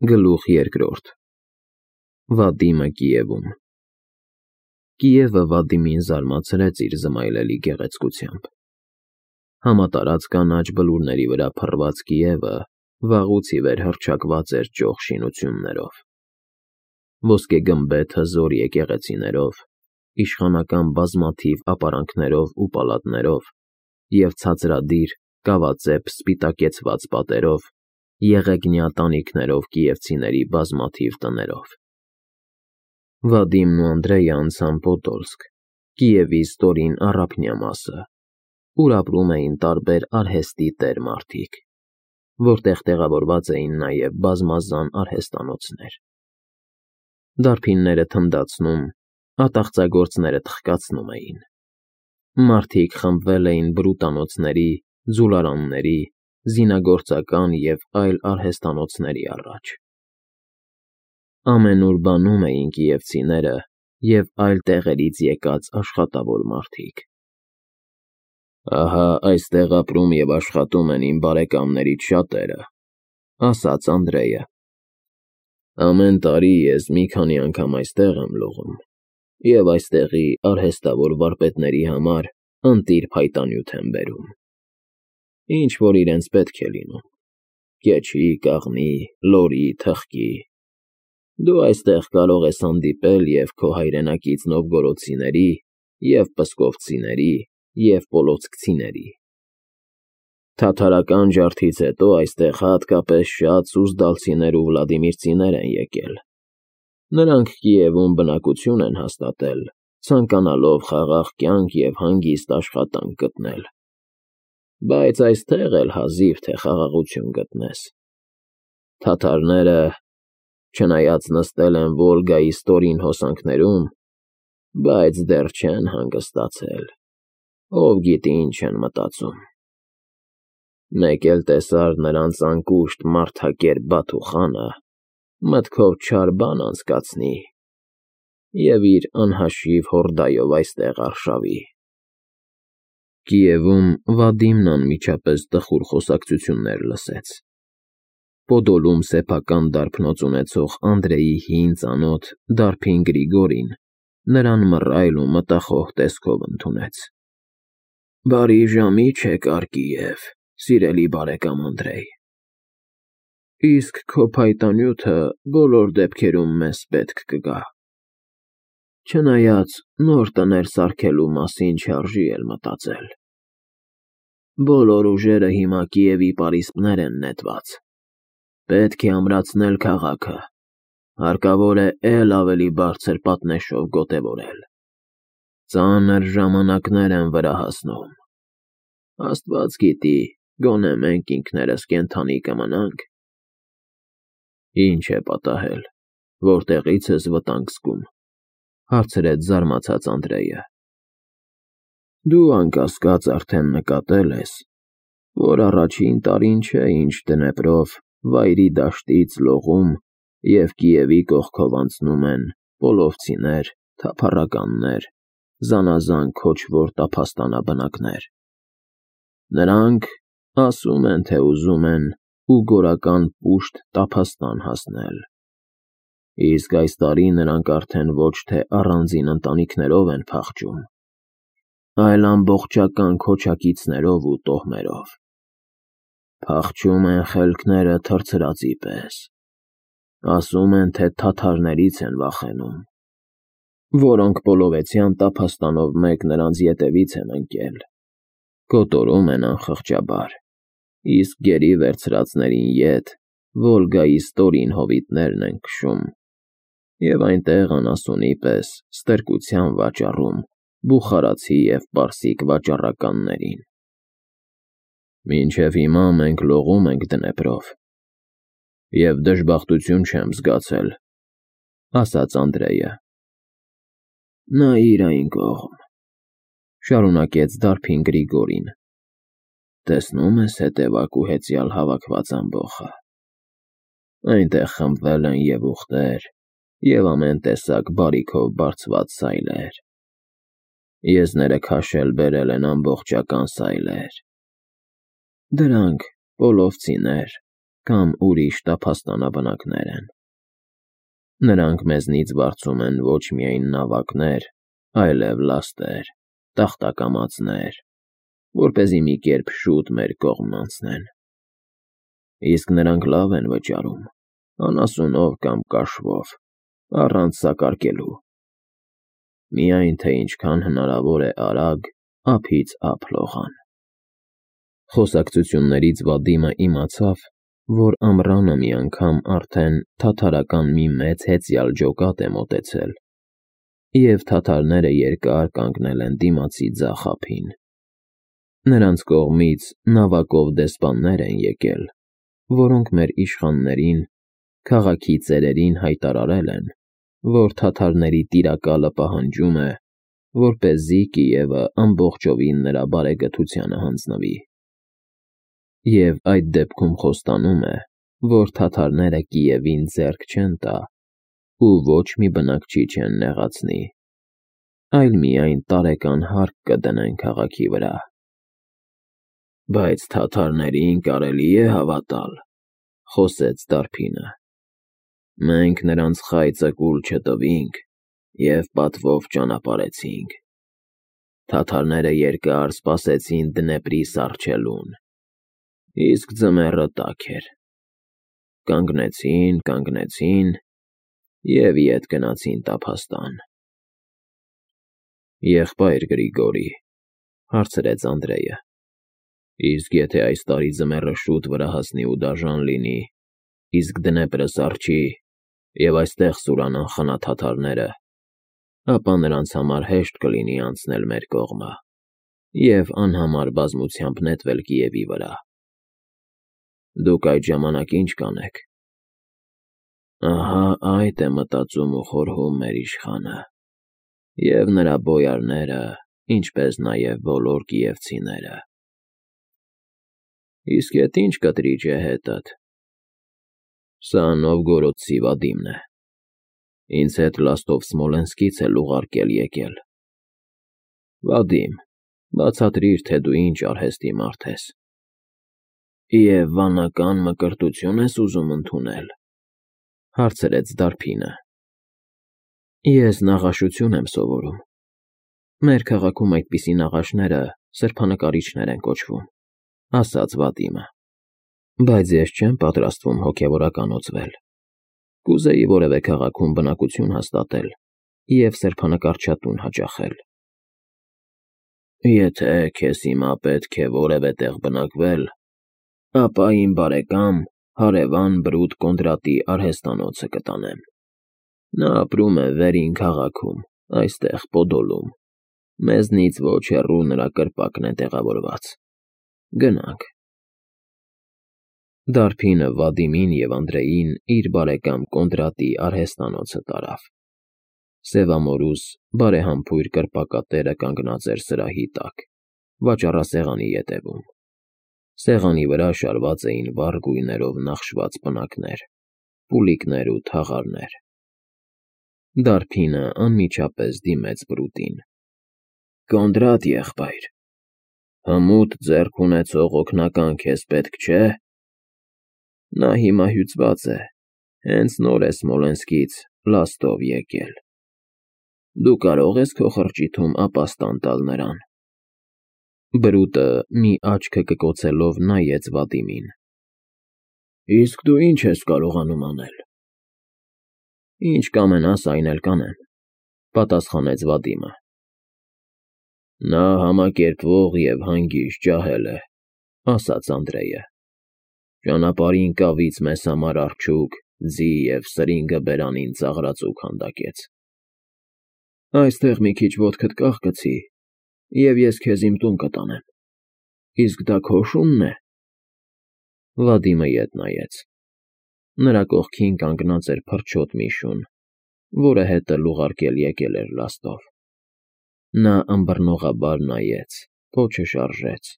Գլուխ երկրորդ Վադիմը Կիևում Կիևը Վադիմին զարմացրեց իր զմայլելի գեղեցկությամբ։ Համատարած կանաչ բլուրների վրա փռված Կիևը վաղուց ի վեր հռչակված էր ճոխ շինություններով, ոսկեգմբեթ հզոր եկեղեցիներով, իշխանական բազմաթիվ ապարանքներով ու պալատներով և ցածրադիր, կավածեպ սպիտակեցված պատերով, եղեգնյա տանիքներով կիևցիների բազմաթիվ տներով։ Վադիմն ու Անդրեյը անցան Պոդոլսկ, Կիևի ստորին առափնյա մասը, ուր ապրում էին տարբեր արհեստի տեր մարդիկ, որտեղ տեղավորված էին նաև բազմազան արհեստանոցներ։ Դարբինները թնդացնում, ատաղծագործները թխկացնում էին։ Մարդիկ խմբվել էին բրուտանոցների, ձուլարանների, զինագործական և այլ արհեստանոցների առաջ։ Ամենուր բանում էին կիևցիները և այլ տեղերից եկած աշխատավոր մարդիկ։ «Ահա այստեղ ապրում և աշխատում են իմ բարեկամներից շատերը», ասաց Անդրեյը։ «Ամեն տարի ես մի քանի անգամ այստեղ եմ լողում և այստեղի արհեստավոր վարպետների համար ընտիր փայտանյութ եմ բերում, ինչ-որ իրենց պետք է լինում՝ կեչի, կաղնի, լորի, թխկի։ Դու այստեղ կարող ես հանդիպել և քո հայրենակից նովգորոդցիների, և պսկովցիների, և պոլոցկցիների։ Թաթարական ջարդից հետո այստեղ հատկապես շատ սուզդալցիներ ու վլադիմիրցիներ են եկել։ Նրանք Կիևում բնակություն են հաստատել, ցանկանալով խաղաղ կյանք և հանգիստ աշխատանք գտնել։ Բայց այստեղ էլ հազիվ թե խաղաղություն գտնես։ Թաթարները, չնայած նստել են Վոլգայի ստորին հոսանքներում, բայց դեռ չեն հանգստացել, ով գիտի ինչ են մտածում։ Մեկ էլ տեսար նրանց անկուշտ մարդակերպ Բաթուխանը, մտքով չար բան անցկացնի և իր անհաշիվ հորդայով այստեղ արշավի»։ Կիևում Վադիմն անմիջապես տխուր խոսակցություններ լսեց։ Պոդոլում սեփական դարբնոց ունեցող Անդրեյի հին ծանոթ դարբին Գրիգորին նրան մռայլ ու մտախոհ տեսքով ընդունեց։ «Բարի ժամի չեկար Կիև, սիրելի բարեկամ Անդրեյ։ Իսկ քո փայտանյութը բոլոր դեպքերում մեզ պետք կգա։ Չնայած նոր տներ սարքելու մասին չարժի էլ մտածել։ Բոլոր ուժերը հիմա Կիևի պարիսպներ են նետված։ Պետք է ամրացնել քաղաքը, հարկավոր է էլ ավելի բարձր պատնեշով գոտևորել։ Ծանր ժամանակներ են վրա հասնում։ Աստված գիտի, գոնե մենք ինքներս կենդանի կմնանք»։ «Ինչ է պատահել, որտեղից ես վտանգ զգում», հարցրեց զարմացած Անդրեյը։ «Դու անկասկած արդեն նկատել ես, որ առաջին տարին չէ, ինչ Դնեպրով վայրի դաշտից լողում և Կիևի կողքով անցնում են պոլովցիներ, թափառականներ, զանազան քոչվոր տափաստանաբնակներ։ Նրանք ասում են, թե ուզում են ուգորական պուշտ տափաստան հասնել։ Իսկ այս տարի նրանք արդեն ոչ թե առանձին ընտանիքներով են փախչում, այլ ամբողջական քոչակիցներով ու տոհմերով։ Փախչում են խելքները թռցրածի պես։ Ասում են, թե թաթարներից են վախենում, որոնք պոլովեցյան տափաստանով մեկ նրանց ետևից են ընկել, կոտորում են անխղճաբար, իսկ գերի վերցրածներին ետ Վոլգայի ստորին հովիտներն են քշում և այնտեղ անասունի պես ստրկության վաճառում բուխարացի և պարսիկ վաճառականներին։ Մինչև հիմա մենք լողում ենք Դնեպրով և դժբախտություն չեմ զգացել», ասաց Անդրեյը։ «Նայիր այն կողմ», շարունակեց դարբին Գրիգորին։ «Տեսնում ես հետևակ ու հեծյալ հավաքված ամբոխը։ Այնտեղ խմբվել են և ուղտեր, և ամեն տեսակ բարիքով բարձված սայլեր։ Եզները քաշել բերել են ամբողջական սայլեր։ Դրանք պոլովցիներ, կամ ուրիշ տափաստանաբնակներ են։ Նրանք մեզնից վարձում են ոչ միայն նավակներ, այլև լաստեր, տախտակամածներ, որպեսզի մի կերպ շուտ մեր կողմն անցնեն։ Իսկ նրանք լավ են վճարում, անասունով կամ կաշվով, առանց սակարկելու։ Միայն թե ինչքան հնարավոր է արագ, ափից ափ լողան։ Խոսակցություններից Վադիմը իմացավ, որ ամռանը մի անգամ արդեն թաթարական մի մեծ հեծյալ ջոկատ է մոտեցել, և թաթարները երկար կանգնել են դիմացի ձախ ափին։ Նրանց կողմից նավակով դեսպաններ են եկել, որոնք մեր իշխաններին, քաղաքի ծերերին հայտարարել են, որ թաթարների տիրակալը պահանջում է, որպեսզի Կիևը ամբողջովին նրա բարեգթությանը հանձնվի։ Եվ այդ դեպքում խոստանում է, որ թաթարները Կիևին ձեռք չեն տա ու ոչ մի բնակչի չեն նեղացնի, այլ միայն տարեկան հարկ կդնեն քաղաքի վրա։ Բայց թաթարներին կարելի է հավատալ, խոսեց Դարբինը։ Մենք նրանց խայծը կուլ չտվինք և պատվով ճանապարհեցինք։ Թաթարները երկար սպասեցին Դնեպրի սառչելուն, իսկ ձմեռը տաք էր։ Կանգնեցին և ետ գնացին տափաստան։ Եղբայր Գրիգորի, հարցրեց Անդրեյը, իսկ եթե այս տարի ձմեռը շուտ վրա հասնի ու դաժան լինի, իսկ Դնեպրը սառչի, և այստեղ սուրանան խանաթաթարները, ապա նրանց համար հեշտ կլինի անցնել մեր կողմը և անհամար բազմությամբ նետվել Կիևի վրա։ Դուք այդ ժամանակ ինչ կանեք։ Ահա այդ է մտածում ու խորհում մեր իշխանը և նրա բոյարները, ինչպես նաև բոլոր կիևցիները։ Իսկ ետ ինչ կտրիճ է հետդ։ Սա Նովգորոդցի Վադիմն է։ Ինձ հետ լաստով Սմոլենսկից էլ ուղարկել եկել։ Վադիմ, բացատրիր, թե դու ինչ արհեստի մարդ ես։ Եվ վանական մկրտություն ես ուզում ընդունել, հարցրեց Դարբինը։ Ես նաղաշություն եմ սովորում։ Մեր քաղաքում այդպիսի նաղաշները սրբանկարիչներ են կոչվում, ասաց Վադիմը։ Բայց ես չեմ պատրաստվում հոգևորականոցվել։ Կուզեի որևէ քաղաքում բնակություն հաստատել և սրբանկարչատուն հաճախել։ Եթե քեզ հիմա պետք է որևէ տեղ բնակվել, ապա իմ բարեկամ, հարևան Բրուտ Կոնդրատի արհեստանոցը կտանեմ։ Նա ապրում է Վերին քաղաքում, այստեղ Պոդոլում։ Մեզնից ոչ հեռու նրա կրպակն է տեղավորված։ Գնանք։ Դարբինը Վադիմին և Անդրեյին իր բարեկամ Կոնդրատի արհեստանոցը տարավ։ Սևամորուս, բարեհամբույր կրպակատերը կանգնած էր սրահի տակ, վաճառասեղանի ետևում։ Սեղանի վրա շարված էին վառ գույներով նախշված պնակներ, պուլիկներ ու թաղարներ։ Դարբինը անմիջապես դիմեց Բրուտին։ Կոնդրատ եղբայր, հմուտ ձեռք ունեցող օգնական քեզ պետք չէ։ Նա հիմա հյուծված է, հենց նոր է Սմոլենսկից լաստով եկել։ Դու կարող ես քո խրճիթում ապաստան տալ նրան։ Բրուտը մի աչքը կկոցելով նայեց Վադիմին։ Իսկ դու ինչ ես կարողանում անել։ Ինչ կամենաս, այն էլ կանեմ, պատասխանեց Վադիմը։ Նա համակերպվող և հանգիստ ջահել է, ասաց Անդրեյը։ Ճանապարհին կավից մեզ համար արջուկ, ձի և սրինգը բերանին ծաղրածուկ հանդակեց։ Այստեղ մի քիչ ոտքդ կախկցի, և ես քեզ իմ տուն կտանեմ։ Իսկ դա քո շունն է։ Վադիմը ետ նայեց։ Նրա կողքին կանգնած էր փրչոտ մի շուն, որը հետը ուղարկել եկել էր լաստով։ Նա ըմբռնողաբար նայեց, պոչը շարժեց,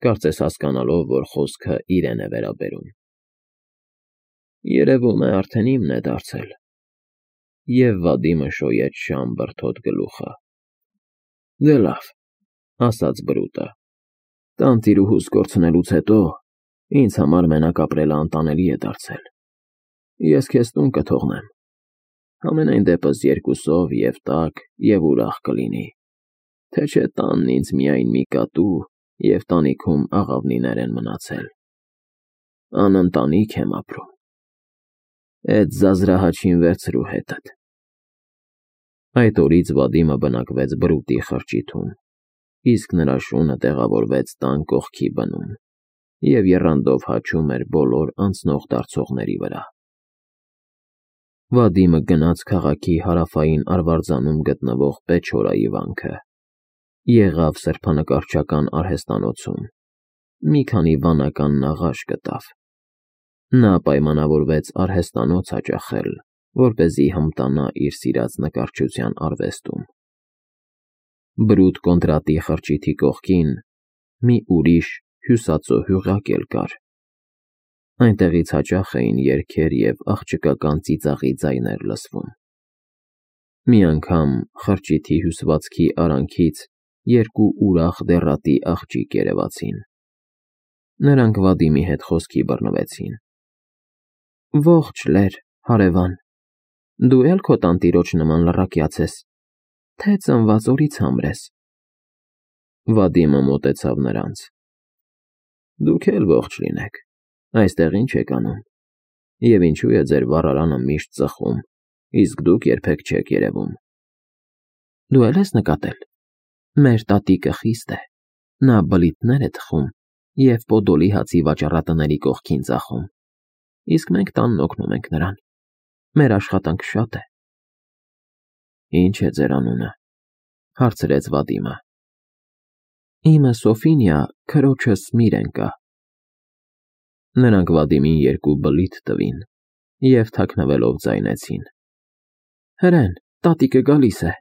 կարծես հասկանալով, որ խոսքը իրեն է վերաբերում։ Երևում է արդեն իմն է դարձել։ Եվ Վադիմը շոյեց շան բրդոտ գլուխը։ Դե լավ, ասաց Բրուտը։ Տանտիրուհուս կորցնելուց հետո Ինձ համար մենակ ապրելը անտանելի է դարձել։ Ես քեզ տուն կթողնեմ։ Համենայն դեպս երկուսով և տաք, և ուրախ կլինի, թե չէ տանն ինձ միայն մի կատու և տանիքում աղավնիներ են մնացել։ Անընտանիք եմ ապրում։ Էդ զազրահաչին վերցրու հետդ։ Այդ օրից Վադիմը բնակվեց բրուտի խրճիթում, իսկ նրա շունը տեղավորվեց տան կողքի բնում և եռանդով հաչում էր բոլոր անցնող֊դարձողների վրա։ Վադիմը գնաց քաղաքի հարավային արվարձանում գտնվող Պեչորայի վանքը, եղավ սրբանկարչական արհեստանոցում, մի քանի վանական նաղաշ գտավ։ Նա պայմանավորվեց արհեստանոց հաճախել, որպեսզի հմտանա իր սիրած նկարչության արվեստում։ Բրուտ Կոնդրատի խրճիթի կողքին մի ուրիշ հյուսածո հյուղակ էլ կար։ Այնտեղից հաճախ էին երգեր և աղջկական ծիծաղի ձայներ լսվում։ Մի անգամ խրճիթի հյուսվածքի արանքից երկու ուրախ դեռատի աղջիկ երևացին։ Նրանք Վադիմի հետ խոսքի բռնվեցին։ Ողջ լեր, հարևան, դու էլ քո տանտիրոջ նման լռակյաց ես, թե ծնված օրից համր ես։ Վադիմը մոտեցավ նրանց։ Դուք էլ ողջ լինեք, այստեղ ինչ եք անում, և ինչու է ձեր վառարանը միշտ ծխում, իսկ դուք երբեք չեք երևում։ Դու էլ ես նկատել, մեր տատիկը խիստ է, նա բլիթներ է թխում և Պոդոլի հացի վաճառատների կողքին ծախում, իսկ մենք տանն օգնում ենք նրան, մեր աշխատանքը շատ է։ Ինչ է ձեր անունը, հարցրեց Վադիմը։ Իմը Սոֆինիա, քրոջս Միրենկա։ Նրանք Վադիմին երկու բլիթ տվին և թաքնվելով ձայնեցին. Հրեն, տատիկը գալիս է։